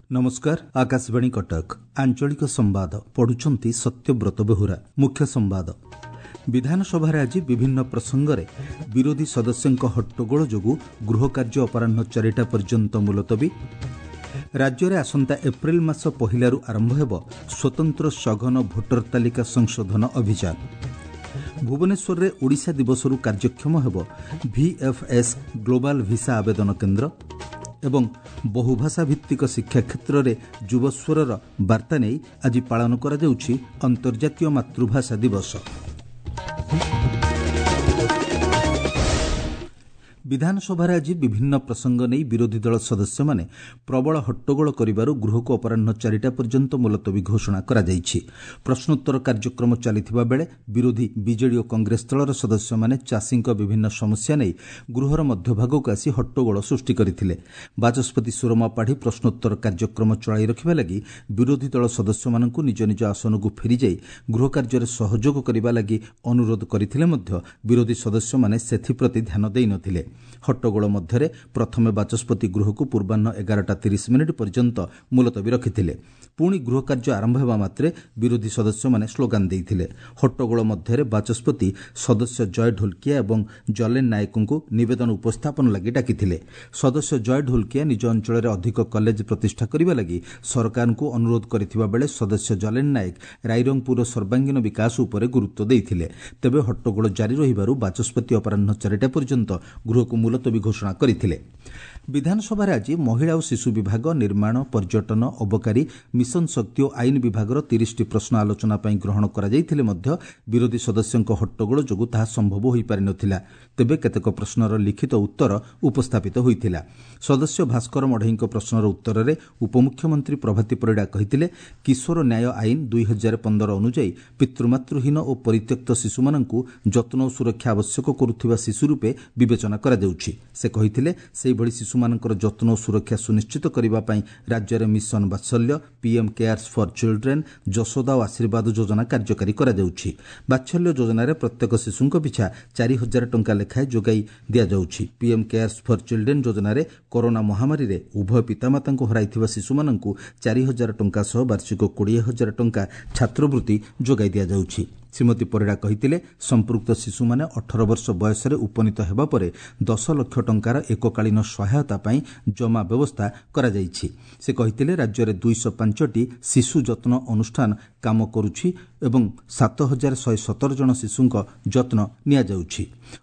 ନମସ୍କାର, ଆକାଶବାଣୀ କଟକ, ଆଞ୍ଚଳିକ ସମ୍ବାଦ ପଢୁଛନ୍ତି ସତ୍ୟବ୍ରତ ବେହୁରା। ମୁଖ୍ୟ ସମ୍ବାଦ। ବିଧାନସଭାରେ ଆଜି ବିଭିନ୍ନ ପ୍ରସଙ୍ଗରେ ବିରୋଧୀ ସଦସ୍ୟଙ୍କ ହଟ୍ଟଗୋଳ ଯୋଗୁଁ ଗୃହକାର୍ଯ୍ୟ ଅପରାହ୍ନ 4ଟା ପର୍ଯ୍ୟନ୍ତ ମୁଲତବୀ। ରାଜ୍ୟରେ ଆସନ୍ତା ଏପ୍ରିଲ ମାସ 1ଲାରୁ ଆରମ୍ଭ ହେବ ସ୍ୱତନ୍ତ୍ର ସଘନ ଭୋଟର ତାଲିକା ସଂଶୋଧନ ଅଭିଯାନ। ଭୁବନେଶ୍ୱରରେ ଓଡ଼ିଶା ଦିବସରୁ କାର୍ଯ୍ୟକ୍ଷମ ହେବ ଭିଏଫ୍ଏସ୍ ଗ୍ଲୋବାଲ ଭିସା ଆବେଦନ କେନ୍ଦ୍ର ଏବଂ ବହୁଭାଷା ଭିତ୍ତିକ ଶିକ୍ଷା କ୍ଷେତ୍ରରେ ଯୁବସ୍ୱରର ବାର୍ତ୍ତା ନେଇ ଆଜି ପାଳନ କରାଯାଉଛି ଅନ୍ତର୍ଜାତୀୟ ମାତୃଭାଷା ଦିବସ। ବିଧାନସଭାରେ ଆଜି ବିଭିନ୍ନ ପ୍ରସଙ୍ଗ ନେଇ ବିରୋଧୀ ଦଳ ସଦସ୍ୟମାନେ ପ୍ରବଳ ହଟ୍ଟଗୋଳ କରିବାରୁ ଗୃହକୁ ଅପରାହ୍ନ 4ଟା ପର୍ଯ୍ୟନ୍ତ ମୁଲତବୀ ଘୋଷଣା କରାଯାଇଛି। ପ୍ରଶ୍ନୋତ୍ତର କାର୍ଯ୍ୟକ୍ରମ ଚାଲିଥିବା ବେଳେ ବିରୋଧୀ ବିଜେଡି ଓ କଂଗ୍ରେସ ଦଳର ସଦସ୍ୟମାନେ ଚାଷୀଙ୍କ ବିଭିନ୍ନ ସମସ୍ୟା ନେଇ ଗୃହର ମଧ୍ୟଭାଗକୁ ଆସି ହଟ୍ଟଗୋଳ ସୃଷ୍ଟି କରିଥିଲେ। ବାଚସ୍ପତି ସୁରମା ପାଢ଼ୀ ପ୍ରଶ୍ନୋତ୍ତର କାର୍ଯ୍ୟକ୍ରମ ଚଳାଇ ରଖିବା ଲାଗି ବିରୋଧୀ ଦଳ ସଦସ୍ୟମାନଙ୍କୁ ନିଜ ନିଜ ଆସନକୁ ଫେରିଯାଇ ଗୃହକାର୍ଯ୍ୟରେ ସହଯୋଗ କରିବା ଲାଗି ଅନୁରୋଧ କରିଥିଲେ ମଧ୍ୟ ବିରୋଧୀ ସଦସ୍ୟମାନେ ସେଥିପ୍ରତି ଧ୍ୟାନ ଦେଇନଥିଲେ। ହଟ୍ଟଗୋଳ ମଧ୍ୟରେ ପ୍ରଥମେ ବାଚସ୍ପତି ଗୃହକୁ ପୂର୍ବାହ୍ନ 11ଟା 30 ପର୍ଯ୍ୟନ୍ତ ମୁଲତବୀ ରଖିଥିଲେ। ପୁଣି ଗୃହକାର୍ଯ୍ୟ ଆରମ୍ଭ ହେବା ମାତ୍ରେ ବିରୋଧୀ ସଦସ୍ୟମାନେ ସ୍ଲୋଗାନ ଦେଇଥିଲେ। ହଟ୍ଟଗୋଳ ମଧ୍ୟରେ ବାଚସ୍ପତି ସଦସ୍ୟ ଜୟ ଢୋଲକିଆ ଏବଂ ଜଲେନ ନାୟକଙ୍କୁ ନିବେଦନ ଉପସ୍ଥାପନ ଲାଗି ଡାକିଥିଲେ। ସଦସ୍ୟ ଜୟ ଢୋଲକିଆ ନିଜ ଅଞ୍ଚଳରେ ଅଧିକ କଲେଜ ପ୍ରତିଷ୍ଠା କରିବା ଲାଗି ସରକାରଙ୍କୁ ଅନୁରୋଧ କରିଥିବା ବେଳେ ସଦସ୍ୟ ଜଲେନ ନାୟକ ରାଇରଙ୍ଗପୁରର ସର୍ବାଙ୍ଗୀନ ବିକାଶ ଉପରେ ଗୁରୁତ୍ୱ ଦେଇଥିଲେ। ତେବେ ହଟ୍ଟଗୋଳ ଜାରି ରହିବାରୁ ବାଚସ୍ପତି ଅପରାହ୍ନ 4ଟା ପର୍ଯ୍ୟନ୍ତ ଗୃହକୁ ମୁଲତବୀ ଘୋଷଣା କରିଥିଲେ। ବିଧାନସଭାରେ ଆଜି ମହିଳା ଓ ଶିଶୁ ବିଭାଗ, ନିର୍ମାଣ, ପର୍ଯ୍ୟଟନ, ଅବକାରୀ, ମିଶନ ଶକ୍ତି ଓ ଆଇନ ବିଭାଗର 30ଟି ପ୍ରଶ୍ନ ଆଲୋଚନା ପାଇଁ ଗ୍ରହଣ କରାଯାଇଥିଲେ ମଧ୍ୟ ବିରୋଧୀ ସଦସ୍ୟଙ୍କ ହଟ୍ଟଗୋଳ ଯୋଗୁଁ ତାହା ସମ୍ଭବ ହୋଇପାରିନଥିଲା। ତେବେ କେତେକ ପ୍ରଶ୍ନର ଲିଖିତ ଉତ୍ତର ଉପସ୍ଥାପିତ ହୋଇଥିଲା। ସଦସ୍ୟ ଭାସ୍କର ମଢ଼େଇଙ୍କ ପ୍ରଶ୍ନର ଉତ୍ତରରେ ଉପମୁଖ୍ୟମନ୍ତ୍ରୀ ପ୍ରଭାତୀ ପରିଡ଼ା କହିଥିଲେ, କିଶୋର ନ୍ୟାୟ ଆଇନ 2015 ଅନୁଯାୟୀ ପିତୃମାତୃହୀନ ଓ ପରିତ୍ୟକ୍ତ ଶିଶୁମାନଙ୍କୁ ଯତ୍ନ ଓ ସୁରକ୍ଷା ଆବଶ୍ୟକ କରୁଥିବା ଶିଶୁ ରୂପେ ବିବେଚନା କରାଯାଉଛି। ସେ କହିଥିଲେ, ସେହିଭଳି ଶିଶୁମାନଙ୍କର ଯତ୍ନ ଓ ସୁରକ୍ଷା ସୁନିଶ୍ଚିତ କରିବା ପାଇଁ ରାଜ୍ୟରେ mission Vatsalya, PM CARES for children, Yashoda ଓ ଆଶୀର୍ବାଦ ଯୋଜନା କାର୍ଯ୍ୟକାରୀ କରାଯାଉଛି। ବାତ୍ସଲ୍ୟ ଯୋଜନାରେ ପ୍ରତ୍ୟେକ ଶିଶୁଙ୍କ ପିଛା 4000 ଟଙ୍କା ଲେଖାଏଁ ଯୋଗାଇ ଦିଆଯାଉଛି। ପିଏମ୍ କେୟାର୍ସ ଫର୍ ଚିଲଡ୍ରେନ୍ ଯୋଜନାରେ କରୋନା ମହାମାରୀରେ ଉଭୟ ପିତାମାତାଙ୍କୁ ହରାଇଥିବା ଶିଶୁମାନଙ୍କୁ 4000 ଟଙ୍କା ସହ ବାର୍ଷିକ 20,000 ଟଙ୍କା ଛାତ୍ରବୃତ୍ତି ଯୋଗାଇ ଦିଆଯାଉଛି। ଶ୍ରୀମତୀ ପରିଡ଼ା କହିଥିଲେ, ସମ୍ପୃକ୍ତ ଶିଶୁମାନେ 18 ବର୍ଷ ବୟସରେ ଉପନୀତ ହେବା ପରେ 10 ଲକ୍ଷ ଟଙ୍କାର ଏକକାଳୀନ ସହାୟତା ପାଇଁ ଜମା ବ୍ୟବସ୍ଥା କରାଯାଇଛି। ସେ କହିଥିଲେ, ରାଜ୍ୟରେ 205ଟି ଶିଶୁ ଯତ୍ନ ଅନୁଷ୍ଠାନ କାମ କରୁଛି ଏବଂ 7117 ଜଣ ଶିଶୁଙ୍କ ଯତ୍ନ ନିଆଯାଉଛି।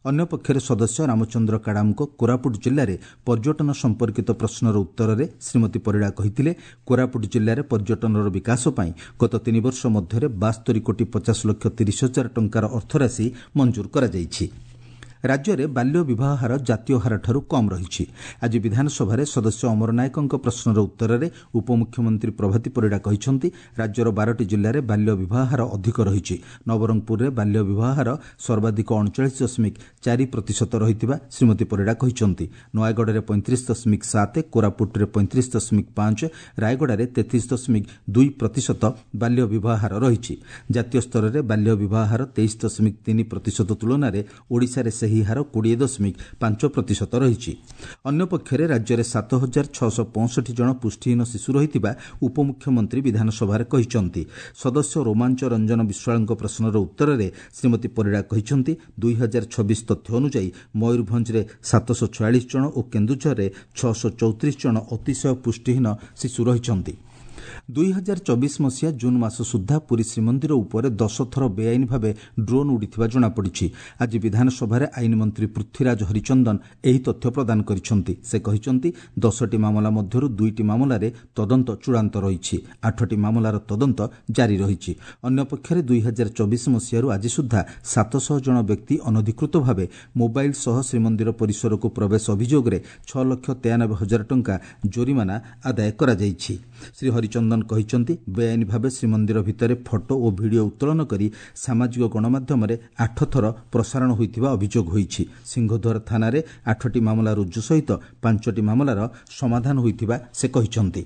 ଅନ୍ୟପକ୍ଷରେ ସଦସ୍ୟ ରାମଚନ୍ଦ୍ର କାଡ଼ାମଙ୍କ କୋରାପୁଟ ଜିଲ୍ଲାରେ ପର୍ଯ୍ୟଟନ ସମ୍ପର୍କିତ ପ୍ରଶ୍ନର ଉତ୍ତରରେ ଶ୍ରୀମତୀ ପରିଡ଼ା କହିଥିଲେ, କୋରାପୁଟ ଜିଲ୍ଲାରେ ପର୍ଯ୍ୟଟନର ବିକାଶ ପାଇଁ ଗତ 3 ବର୍ଷ ମଧ୍ୟରେ 72 କୋଟି 50 ଲକ୍ଷ 30 ହଜାର ଟଙ୍କାର ଅର୍ଥରାଶି ମଞ୍ଜୁର କରାଯାଇଛି। ରାଜ୍ୟରେ ବାଲ୍ୟ ବିବାହ ହାର ଜାତୀୟ ହାରଠାରୁ କମ୍ ରହିଛି। ଆଜି ବିଧାନସଭାରେ ସଦସ୍ୟ ଅମର ନାୟକଙ୍କ ପ୍ରଶ୍ନର ଉତ୍ତରରେ ଉପମୁଖ୍ୟମନ୍ତ୍ରୀ ପ୍ରଭାତୀ ପରିଡ଼ା କହିଛନ୍ତି, ରାଜ୍ୟର 12ଟି ଜିଲ୍ଲାରେ ବାଲ୍ୟ ବିବାହ ହାର ଅଧିକ ରହିଛି। ନବରଙ୍ଗପୁରରେ ବାଲ୍ୟ ବିବାହ ହାର ସର୍ବାଧିକ 39.4% ରହିଥିବା ଶ୍ରୀମତୀ ପରିଡ଼ା କହିଛନ୍ତି। ନୟାଗଡ଼ରେ 35.7, କୋରାପୁଟରେ 35.5, ରାୟଗଡ଼ାରେ 33.2% ବାଲ୍ୟ ବିବାହ ହାର ରହିଛି। ଜାତୀୟ ସ୍ତରରେ ବାଲ୍ୟ ବିବାହ ହାର 23.3% ତୁଳନାରେ ଓଡ଼ିଶାରେ ସେହି ହାର 20.5% ରହିଛି। ଅନ୍ୟପକ୍ଷରେ ରାଜ୍ୟରେ 7665 ଜଣ ପୁଷ୍ଟିହୀନ ଶିଶୁ ରହିଥିବା ଉପମୁଖ୍ୟମନ୍ତ୍ରୀ ବିଧାନସଭାରେ କହିଛନ୍ତି। ସଦସ୍ୟ ରୋମାଞ୍ଚ ରଞ୍ଜନ ବିଶ୍ୱାଳଙ୍କ ପ୍ରଶ୍ନର ଉତ୍ତରରେ ଶ୍ରୀମତୀ ପରିଡ଼ା କହିଛନ୍ତି, 2026 ତଥ୍ୟ ଅନୁଯାୟୀ ମୟୂରଭଞ୍ଜରେ 746 ଜଣ ଓ କେନ୍ଦୁଝରରେ 634 ଜଣ ଅତିଶୟ ପୁଷ୍ଟିହୀନ ଶିଶୁ ରହିଛନ୍ତି। 2024 ମସିହା ଜୁନ୍ ମାସ ସୁଦ୍ଧା ପୁରୀ ଶ୍ରୀମନ୍ଦିର ଉପରେ 10 ଥର ବେଆଇନ ଭାବେ ଡ୍ରୋନ୍ ଉଡ଼ିଥିବା ଜଣାପଡ଼ିଛି। ଆଜି ବିଧାନସଭାରେ ଆଇନ ମନ୍ତ୍ରୀ ପୃଥ୍ୱୀରାଜ ହରିଚନ୍ଦନ ଏହି ତଥ୍ୟ ପ୍ରଦାନ କରିଛନ୍ତି। ସେ କହିଛନ୍ତି, 10ଟି ମାମଲା ମଧ୍ୟରୁ 2ଟି ମାମଲାରେ ତଦନ୍ତ ଚୂଡ଼ାନ୍ତ ରହିଛି, 8ଟି ମାମଲାର ତଦନ୍ତ ଜାରି ରହିଛି। ଅନ୍ୟପକ୍ଷରେ 2024 ମସିହାରୁ ଆଜି ସୁଦ୍ଧା 700 ଜଣ ବ୍ୟକ୍ତି ଅନଧିକୃତ ଭାବେ ମୋବାଇଲ ସହ ଶ୍ରୀମନ୍ଦିର ପରିସରକୁ ପ୍ରବେଶ ଅଭିଯୋଗରେ 6,93,000 ଟଙ୍କା ଜୋରିମାନା ଆଦାୟ କରାଯାଇଛି। ଶ୍ରୀ ହରିଚନ୍ଦନ କହିଛନ୍ତି, ବେଆଇନ ଭାବେ ଶ୍ରୀମନ୍ଦିର ଭିତରେ ଫଟୋ ଓ ଭିଡ଼ିଓ ଉତ୍ତୋଳନ କରି ସାମାଜିକ ଗଣମାଧ୍ୟମରେ 8 ଥର ପ୍ରସାରଣ ହୋଇଥିବା ଅଭିଯୋଗ ହୋଇଛି। ସିଂହଦ୍ୱାର ଥାନାରେ 8ଟି ମାମଲା ରୁଜୁ ସହିତ 5ଟି ମାମଲାର ସମାଧାନ ହୋଇଥିବା ସେ କହିଛନ୍ତି।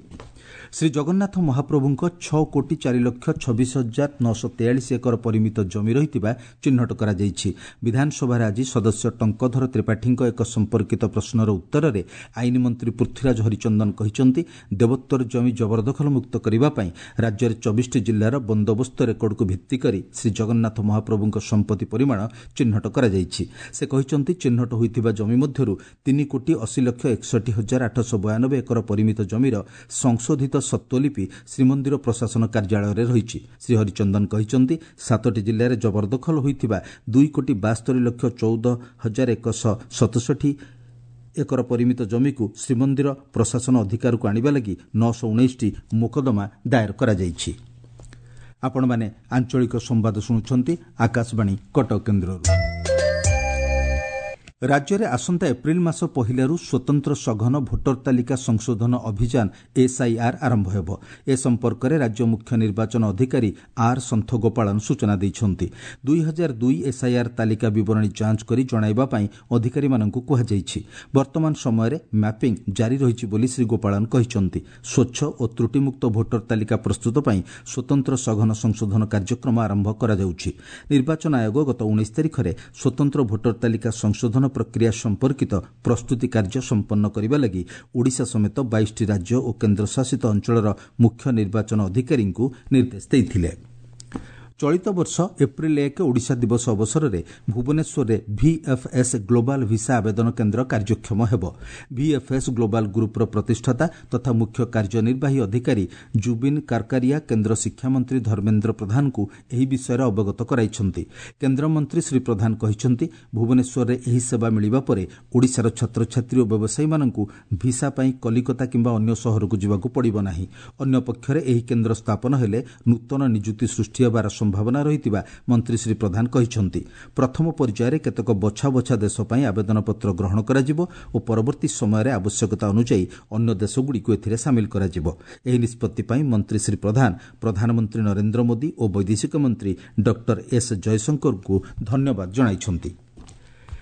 ଶ୍ରୀଜଗନ୍ନାଥ ମହାପ୍ରଭୁଙ୍କ 6,04,26,943 ଏକର ପରିମିତ ଜମି ରହିଥିବା ଚିହ୍ନଟ କରାଯାଇଛି। ବିଧାନସଭାରେ ଆଜି ସଦସ୍ୟ ଟଙ୍କଧର ତ୍ରିପାଠୀଙ୍କ ଏକ ସମ୍ପର୍କିତ ପ୍ରଶ୍ନର ଉତ୍ତରରେ ଆଇନ ମନ୍ତ୍ରୀ ପୃଥ୍ୱୀରାଜ ହରିଚନ୍ଦନ କହିଛନ୍ତି, ଦେବୋତ୍ତର ଜମି ଜବରଦଖଲ ମୁକ୍ତ କରିବା ପାଇଁ ରାଜ୍ୟରେ 24ଟି ଜିଲ୍ଲାର ବନ୍ଦୋବସ୍ତ ରେକର୍ଡକୁ ଭିତ୍ତି କରି ଶ୍ରୀଜଗନ୍ନାଥ ମହାପ୍ରଭୁଙ୍କ ସମ୍ପତ୍ତି ପରିମାଣ ଚିହ୍ନଟ କରାଯାଇଛି। ସେ କହିଛନ୍ତି, ଚିହ୍ନଟ ହୋଇଥିବା ଜମି ମଧ୍ୟରୁ 3,80,61,892 ଏକର ପରିମିତ ଜମିର ସଂଶୋଧିତ ସତ୍ତ୍ୱଲିପି ଶ୍ରୀମନ୍ଦିର ପ୍ରଶାସନ କାର୍ଯ୍ୟାଳୟରେ ରହିଛି। ଶ୍ରୀ ହରିଚନ୍ଦନ କହିଛନ୍ତି, 7ଟି ଜିଲ୍ଲାରେ ଜବରଦଖଲ ହୋଇଥିବା 2,72,14,167 ଏକର ପରିମିତ ଜମିକୁ ଶ୍ରୀମନ୍ଦିର ପ୍ରଶାସନ ଅଧିକାରକୁ ଆଣିବା ଲାଗି 919ଟି ମୋକଦ୍ଦମା ଦାୟର କରାଯାଇଛି। ଆପଣମାନେ ଆଞ୍ଚଳିକ ସମ୍ବାଦ ଶୁଣୁଛନ୍ତି ଆକାଶବାଣୀ କଟକ କେନ୍ଦ୍ରରୁ। ରାଜ୍ୟରେ ଆସନ୍ତା ଏପ୍ରିଲ ମାସ 1ରୁ ସ୍ୱତନ୍ତ୍ର ସଘନ ଭୋଟର ତାଲିକା ସଂଶୋଧନ ଅଭିଯାନ ଏସ୍ଆଇଆର୍ ଆରମ୍ଭ ହେବ। ଏ ସମ୍ପର୍କରେ ରାଜ୍ୟ ମୁଖ୍ୟ ନିର୍ବାଚନ ଅଧିକାରୀ ଆର୍ ସନ୍ଥଗୋପାଳନ ସୂଚନା ଦେଇଛନ୍ତି। 2002 ଏସ୍ଆଇଆର୍ ତାଲିକା ବିବରଣୀ ଯାଞ୍ଚ କରି ଜଣାଇବା ପାଇଁ ଅଧିକାରୀମାନଙ୍କୁ କୁହାଯାଇଛି। ବର୍ତ୍ତମାନ ସମୟରେ ମ୍ୟାପିଂ ଜାରି ରହିଛି ବୋଲି ଶ୍ରୀ ଗୋପାଳନ କହିଛନ୍ତି। ସ୍ୱଚ୍ଛ ଓ ତ୍ରୁଟିମୁକ୍ତ ଭୋଟର ତାଲିକା ପ୍ରସ୍ତୁତ ପାଇଁ ସ୍ୱତନ୍ତ୍ର ସଘନ ସଂଶୋଧନ କାର୍ଯ୍ୟକ୍ରମ ଆରମ୍ଭ କରାଯାଉଛି। ନିର୍ବାଚନ ଆୟୋଗ ଗତ 19 ତାରିଖରେ ସ୍ୱତନ୍ତ୍ର ଭୋଟର ତାଲିକା ସଂଶୋଧନ ପ୍ରକ୍ରିୟା ସମ୍ପର୍କିତ ପ୍ରସ୍ତୁତି କାର୍ଯ୍ୟ ସମ୍ପନ୍ନ କରିବା ଲାଗି ଓଡ଼ିଶା ସମେତ 22ଟି ରାଜ୍ୟ ଓ କେନ୍ଦ୍ରଶାସିତ ଅଞ୍ଚଳର ମୁଖ୍ୟ ନିର୍ବାଚନ ଅଧିକାରୀଙ୍କୁ ନିର୍ଦ୍ଦେଶ ଦେଇଥିଲେ। ଚଳିତ ବର୍ଷ ଏପ୍ରିଲ 1 ଓଡ଼ିଶା ଦିବସ ଅବସରରେ ଭୁବନେଶ୍ୱରରେ ଭିଏଫ୍ଏସ୍ ଗ୍ଲୋବାଲ୍ ଭିସା ଆବେଦନ କେନ୍ଦ୍ର କାର୍ଯ୍ୟକ୍ଷମ ହେବ। ଭିଏଫ୍ଏସ୍ ଗ୍ଲୋବାଲ୍ ଗ୍ରୁପ୍ର ପ୍ରତିଷ୍ଠାତା ତଥା ମୁଖ୍ୟ କାର୍ଯ୍ୟନିର୍ବାହୀ ଅଧିକାରୀ ଜୁବିନ୍ କାରକାରିଆ କେନ୍ଦ୍ର ଶିକ୍ଷାମନ୍ତ୍ରୀ ଧର୍ମେନ୍ଦ୍ର ପ୍ରଧାନଙ୍କୁ ଏହି ବିଷୟରେ ଅବଗତ କରାଇଛନ୍ତି। କେନ୍ଦ୍ରମନ୍ତ୍ରୀ ଶ୍ରୀ ପ୍ରଧାନ କହିଛନ୍ତି, ଭୁବନେଶ୍ୱରରେ ଏହି ସେବା ମିଳିବା ପରେ ଓଡ଼ିଶାର ଛାତ୍ରଛାତ୍ରୀ ଓ ବ୍ୟବସାୟୀମାନଙ୍କୁ ଭିସା ପାଇଁ କଲିକତା କିମ୍ବା ଅନ୍ୟ ସହରକୁ ଯିବାକୁ ପଡ଼ିବ ନାହିଁ। ଅନ୍ୟପକ୍ଷରେ ଏହି କେନ୍ଦ୍ର ସ୍ଥାପନ ହେଲେ ନୂତନ ନିଯୁକ୍ତି ସୃଷ୍ଟି ହେବାର ସମ୍ଭାବନା ରହିଥିବା ମନ୍ତ୍ରୀ ଶ୍ରୀ ପ୍ରଧାନ କହିଛନ୍ତି। ପ୍ରଥମ ପର୍ଯ୍ୟାୟରେ କେତେକ ବଛା ବଛା ଦେଶ ପାଇଁ ଆବେଦନପତ୍ର ଗ୍ରହଣ କରାଯିବ ଓ ପରବର୍ତ୍ତୀ ସମୟରେ ଆବଶ୍ୟକତା ଅନୁଯାୟୀ ଅନ୍ୟ ଦେଶଗୁଡ଼ିକୁ ଏଥିରେ ସାମିଲ କରାଯିବ। ଏହି ନିଷ୍ପତ୍ତି ପାଇଁ ମନ୍ତ୍ରୀ ଶ୍ରୀ ପ୍ରଧାନ ପ୍ରଧାନମନ୍ତ୍ରୀ ନରେନ୍ଦ୍ର ମୋଦି ଓ ବୈଦେଶିକ ମନ୍ତ୍ରୀ ଡକ୍ଟର ଏସ୍ ଜୟଶଙ୍କରଙ୍କୁ ଧନ୍ୟବାଦ ଜଣାଇଛନ୍ତି।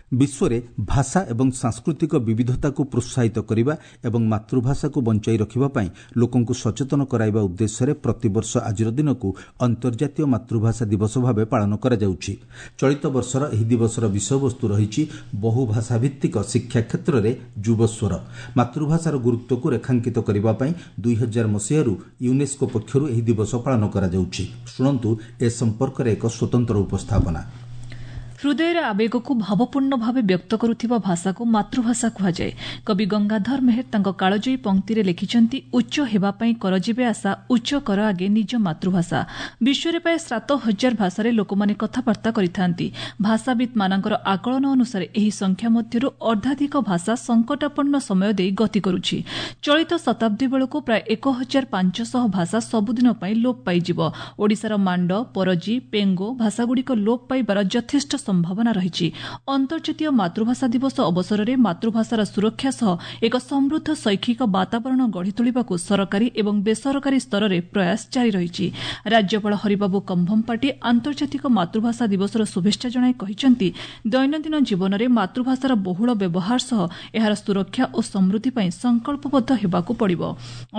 ବିଶ୍ୱରେ ଭାଷା ଏବଂ ସାଂସ୍କୃତିକ ବିବିଧତାକୁ ପ୍ରୋତ୍ସାହିତ କରିବା ଏବଂ ମାତୃଭାଷାକୁ ବଞ୍ଚାଇ ରଖିବା ପାଇଁ ଲୋକଙ୍କୁ ସଚେତନ କରାଇବା ଉଦ୍ଦେଶ୍ୟରେ ପ୍ରତିବର୍ଷ ଆଜିର ଦିନକୁ ଅନ୍ତର୍ଜାତୀୟ ମାତୃଭାଷା ଦିବସ ଭାବେ ପାଳନ କରାଯାଉଛି। ଚଳିତ ବର୍ଷର ଏହି ଦିବସର ବିଷୟବସ୍ତୁ ରହିଛି ବହୁଭାଷାଭିତ୍ତିକ ଶିକ୍ଷା କ୍ଷେତ୍ରରେ ଯୁବସ୍ୱର। ମାତୃଭାଷାର ଗୁରୁତ୍ୱକୁ ରେଖାଙ୍କିତ କରିବା ପାଇଁ 2000 ମସିହାରୁ ୟୁନେସ୍କୋ ପକ୍ଷରୁ ଏହି ଦିବସ ପାଳନ କରାଯାଉଛି। ଶୁଣନ୍ତୁ ଏ ସମ୍ପର୍କରେ ଏକ ସ୍ୱତନ୍ତ୍ର ଉପସ୍ଥାପନା। ହୃଦୟର ଆବେଗକୁ ଭାବପୂର୍ଣ୍ଣ ଭାବେ ବ୍ୟକ୍ତ କରୁଥିବା ଭାଷାକୁ ମାତୃଭାଷା କୁହାଯାଏ। କବି ଗଙ୍ଗାଧର ମେହେର ତାଙ୍କ କାଳଜୟୀ ପଂକ୍ତିରେ ଲେଖିଛନ୍ତି, ଉଚ୍ଚ ହେବା ପାଇଁ କରଯିବେ ଆଶା, ଉଚ୍ଚ କର ଆଗେ ନିଜ ମାତୃଭାଷା। ବିଶ୍ୱରେ ପ୍ରାୟ 7000 ଭାଷାରେ ଲୋକମାନେ କଥାବାର୍ତ୍ତା କରିଥାନ୍ତି। ଭାଷାବିତ୍ମାନଙ୍କର ଆକଳନ ଅନୁସାରେ ଏହି ସଂଖ୍ୟା ମଧ୍ୟରୁ ଅର୍ଦ୍ଧାଧିକ ଭାଷା ସଙ୍କଟାପନ୍ନ ସମୟ ଦେଇ ଗତି କରୁଛି। ଚଳିତ ଶତାବ୍ଦୀ ବେଳକୁ ପ୍ରାୟ 1500 ଭାଷା ସବୁଦିନ ପାଇଁ ଲୋପ ପାଇଯିବ। ଓଡ଼ିଶାର ମାଣ୍ଡ, ପରଜି, ପେଙ୍ଗୋ ଭାଷାଗୁଡ଼ିକ ଲୋପ ପାଇବାର ଯଥେଷ୍ଟ ସମ୍ଭାବନା ରହିଛି। ଅନ୍ତର୍ଜାତୀୟ ମାତୃଭାଷା ଦିବସ ଅବସରରେ ମାତୃଭାଷାର ସୁରକ୍ଷା ସହ ଏକ ସମୃଦ୍ଧ ଶୈକ୍ଷିକ ବାତାବରଣ ଗଢ଼ି ତୋଳିବାକୁ ସରକାରୀ ଏବଂ ବେସରକାରୀ ସ୍ତରରେ ପ୍ରୟାସ ଜାରି ରହିଛି। ରାଜ୍ୟପାଳ ହରିବାବୁ କମ୍ଭମପାଟି ଆନ୍ତର୍ଜାତିକ ମାତୃଭାଷା ଦିବସର ଶୁଭେଚ୍ଛା ଜଣାଇ କହିଛନ୍ତି, ଦୈନନ୍ଦିନ ଜୀବନରେ ମାତୃଭାଷାର ବହୁଳ ବ୍ୟବହାର ସହ ଏହାର ସୁରକ୍ଷା ଓ ସମୃଦ୍ଧି ପାଇଁ ସଂକଳ୍ପବଦ୍ଧ ହେବାକୁ ପଡ଼ିବ।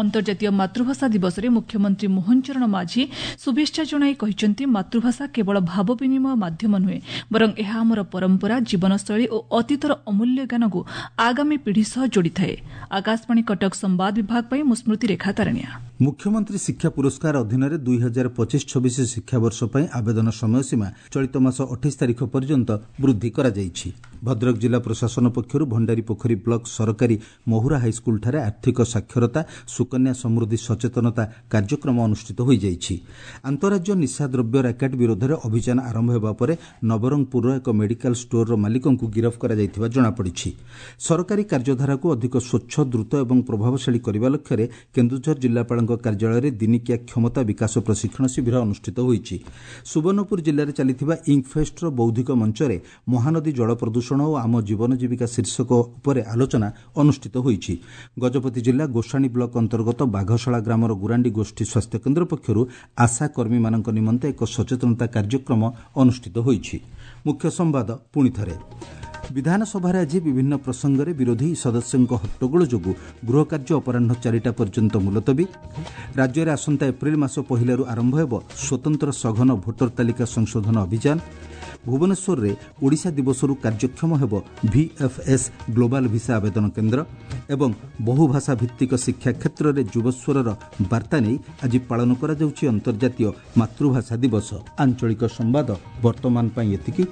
ଅନ୍ତର୍ଜାତୀୟ ମାତୃଭାଷା ଦିବସରେ ମୁଖ୍ୟମନ୍ତ୍ରୀ ମୋହନ ଚରଣ ମାଝୀ ଶୁଭେଚ୍ଛା ଜଣାଇ କହିଛନ୍ତି, ମାତୃଭାଷା କେବଳ ଭାବ ବିନିମୟ ମାଧ୍ୟମ ନୁହେଁ, ବରଂ ଏହା ଆମର ପରମ୍ପରା, ଜୀବନଶୈଳୀ ଓ ଅତୀତର ଅମୂଲ୍ୟ ଜ୍ଞାନକୁ ଆଗାମୀ ପିଢ଼ି ସହ ଯୋଡ଼ିଥାଏ। ଆକାଶବାଣୀ କଟକ ସମ୍ବାଦ ବିଭାଗ ପାଇଁ ମୁଁ ସ୍ମୃତିରେଖା ତାରଣିଆ। ମୁଖ୍ୟମନ୍ତ୍ରୀ ଶିକ୍ଷା ପୁରସ୍କାର ଅଧୀନରେ 2025-26 ଶିକ୍ଷାବର୍ଷ ପାଇଁ ଆବେଦନ ସମୟସୀମା ଚଳିତ ମାସ 28 ତାରିଖ ପର୍ଯ୍ୟନ୍ତ ବୃଦ୍ଧି କରାଯାଇଛି। ଭଦ୍ରକ ଜିଲ୍ଲା ପ୍ରଶାସନ ପକ୍ଷରୁ ଭଣ୍ଡାରୀପୋଖରୀ ବ୍ଲକ ସରକାରୀ ମହୁରା ହାଇସ୍କୁଲଠାରେ ଆର୍ଥିକ ସାକ୍ଷରତା ସୁକନ୍ୟା ସମୃଦ୍ଧି ସଚେତନତା କାର୍ଯ୍ୟକ୍ରମ ଅନୁଷ୍ଠିତ ହୋଇଯାଇଛି। ଆନ୍ତଃରାଜ୍ୟ ନିଶାଦ୍ରବ୍ୟ ର୍ୟାକେଟ୍ ବିରୋଧରେ ଅଭିଯାନ ଆରମ୍ଭ ହେବା ପରେ ନବରଙ୍ଗପୁରର ଏକ ମେଡିକାଲ ଷ୍ଟୋରର ମାଲିକଙ୍କୁ ଗିରଫ କରାଯାଇଥିବା ଜଣାପଡ଼ିଛି। ସରକାରୀ କାର୍ଯ୍ୟଧାରାକୁ ଅଧିକ ସ୍ୱଚ୍ଛ, ଦ୍ରୁତ ଏବଂ ପ୍ରଭାବଶାଳୀ କରିବା ଲକ୍ଷ୍ୟରେ କେନ୍ଦୁଝର ଜିଲ୍ଲାପାଳଙ୍କ କାର୍ଯ୍ୟାଳୟରେ ଦିନିକିଆ କ୍ଷମତା ବିକାଶ ପ୍ରଶିକ୍ଷଣ ଶିବିର ଅନୁଷ୍ଠିତ ହୋଇଛି। ସୁବର୍ଣ୍ଣପୁର ଜିଲ୍ଲାରେ ଚାଲିଥିବା ଇଙ୍କଫେଷ୍ଟର ବୌଦ୍ଧିକ ମଞ୍ଚରେ ମହାନଦୀ ଜଳ ପ୍ରଦୂଷଣ ଓ ଆମ ଜୀବନ ଜୀବିକା ଶୀର୍ଷକ ଉପରେ ଆଲୋଚନା ଅନୁଷ୍ଠିତ ହୋଇଛି। ଗଜପତି ଜିଲ୍ଲା ଗୋସାଣୀ ବ୍ଲକ ଅନ୍ତର୍ଗତ ବାଘଶାଳା ଗ୍ରାମର ଗୁରାଣ୍ଡି ଗୋଷ୍ଠୀ ସ୍ୱାସ୍ଥ୍ୟକେନ୍ଦ୍ର ପକ୍ଷରୁ ଆଶା କର୍ମୀମାନଙ୍କ ନିମନ୍ତେ ଏକ ସଚେତନତା କାର୍ଯ୍ୟକ୍ରମ ଅନୁଷ୍ଠିତ ହୋଇଛି। ମୁଖ୍ୟ ସମ୍ବାଦ ପୁଣିଥରେ। ବିଧାନସଭାରେ ଆଜି ବିଭିନ୍ନ ପ୍ରସଙ୍ଗରେ ବିରୋଧୀ ସଦସ୍ୟଙ୍କ ହଟ୍ଟଗୋଳ ଯୋଗୁଁ ଗୃହକାର୍ଯ୍ୟ ଅପରାହ୍ନ 4ଟା ପର୍ଯ୍ୟନ୍ତ ମୁଲତବୀ। ରାଜ୍ୟରେ ଆସନ୍ତା ଏପ୍ରିଲ ମାସ 1ରୁ ଆରମ୍ଭ ହେବ ସ୍ୱତନ୍ତ୍ର ସଘନ ଭୋଟର ତାଲିକା ସଂଶୋଧନ ଅଭିଯାନ। ଭୁବନେଶ୍ୱରରେ ଓଡ଼ିଶା ଦିବସରୁ କାର୍ଯ୍ୟକ୍ଷମ ହେବ ଭିଏଫ୍ଏସ୍ ଗ୍ଲୋବାଲ ଭିସା ଆବେଦନ କେନ୍ଦ୍ର। ଏବଂ ବହୁଭାଷା ଭିତ୍ତିକ ଶିକ୍ଷା କ୍ଷେତ୍ରରେ ଯୁବସ୍ୱରର ବାର୍ତ୍ତା ନେଇ ଆଜି ପାଳନ କରାଯାଉଛି ଅନ୍ତର୍ଜାତୀୟ ମାତୃଭାଷା ଦିବସ। ଆଞ୍ଚଳିକ ସମ୍ବାଦ ବର୍ତ୍ତମାନ ପାଇଁ ଏତିକି।